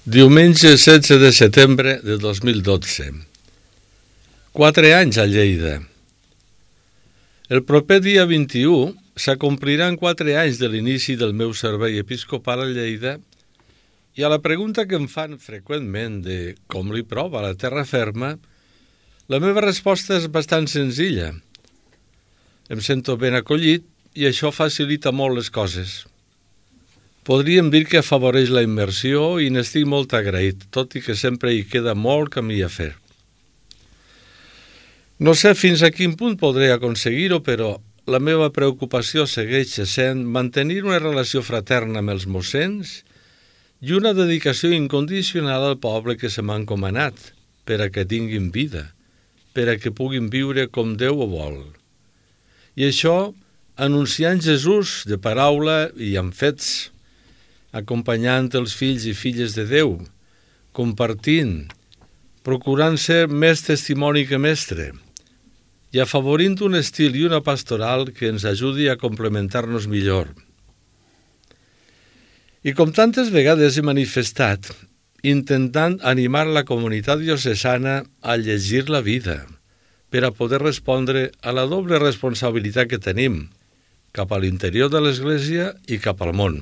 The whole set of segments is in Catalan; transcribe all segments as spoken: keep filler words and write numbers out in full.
Diumenge setze de setembre de dos mil dotze. Quatre anys a Lleida. El proper dia vint-i-u s'acompliran quatre anys de l'inici del meu servei episcopal a Lleida i a la pregunta que em fan freqüentment de com li prova la terra ferma, la meva resposta és bastant senzilla. Em sento ben acollit i això facilita molt les coses. Podríem dir que afavoreix la immersió i n'estic molt agraït, tot i que sempre hi queda molt camí a fer. No sé fins a quin punt podré aconseguir-ho, però la meva preocupació segueix sent mantenir una relació fraterna amb els mossens i una dedicació incondicional al poble que se m'ha encomanat, per a que tinguin vida, per a que puguin viure com Déu ho vol. I això anunciant Jesús de paraula i amb fets, acompanyant els fills i filles de Déu, compartint, procurant ser més testimoni que mestre i afavorint un estil i una pastoral que ens ajudi a complementar-nos millor. I com tantes vegades he manifestat, intentant animar la comunitat diocesana a llegir la vida per a poder respondre a la doble responsabilitat que tenim cap a l'interior de l'Església i cap al món.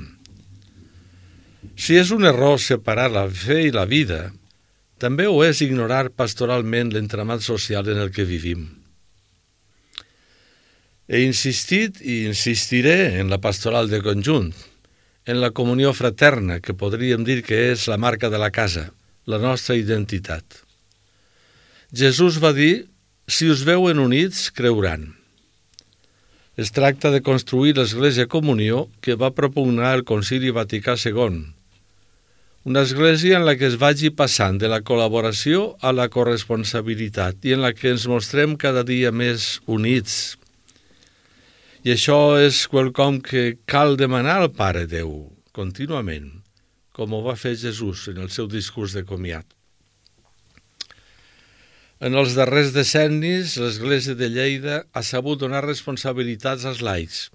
Si és un error separar la fe i la vida, també ho és ignorar pastoralment l'entramat social en el que vivim. He insistit i insistiré en la pastoral de conjunt, en la comunió fraterna, que podríem dir que és la marca de la casa, la nostra identitat. Jesús va dir, si us veuen units, creuran. Es tracta de construir l'Església Comunió que va propugnar el Concili Vaticà segon, una església en la que es vagi passant de la col·laboració a la corresponsabilitat i en la que ens mostrem cada dia més units. I això és quelcom que cal demanar al Pare Déu, contínuament, com ho va fer Jesús en el seu discurs de comiat. En els darrers decennis, l'Església de Lleida ha sabut donar responsabilitats als laics.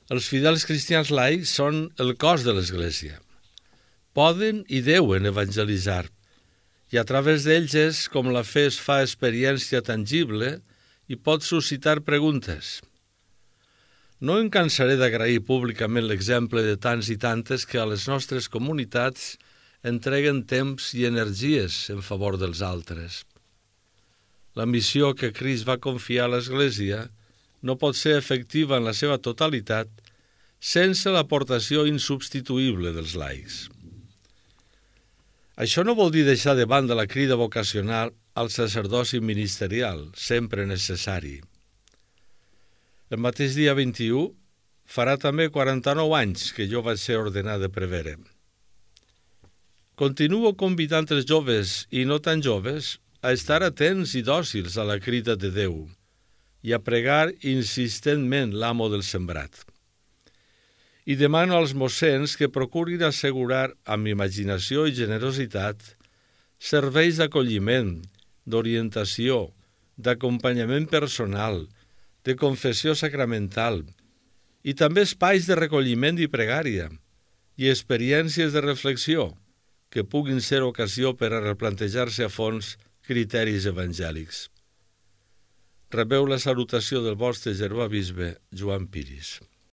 Els fidels cristians laics són el cos de l'Església. Poden i deuen evangelitzar, i a través d'ells és com la fe es fa experiència tangible i pot suscitar preguntes. No em cansaré d'agrair públicament l'exemple de tants i tantes que a les nostres comunitats entreguen temps i energies en favor dels altres. La missió que Crist va confiar a l'Església no pot ser efectiva en la seva totalitat sense l'aportació insubstituïble dels laics. Això no vol dir deixar de banda la crida vocacional al sacerdoci ministerial, sempre necessari. El mateix dia vint-i-u farà també quaranta-nou anys que jo vaig ser ordenat de prevere. Continuo convidant els joves i no tan joves a estar atents i dòcils a la crida de Déu i a pregar insistentment l'amo del sembrat. I demano als mossens que procurin assegurar, amb imaginació i generositat, serveis d'acolliment, d'orientació, d'acompanyament personal, de confessió sacramental, i també espais de recolliment i pregària, i experiències de reflexió, que puguin ser ocasió per a replantejar-se a fons criteris evangèlics. Rebeu la salutació del vostre germà bisbe Joan Piris.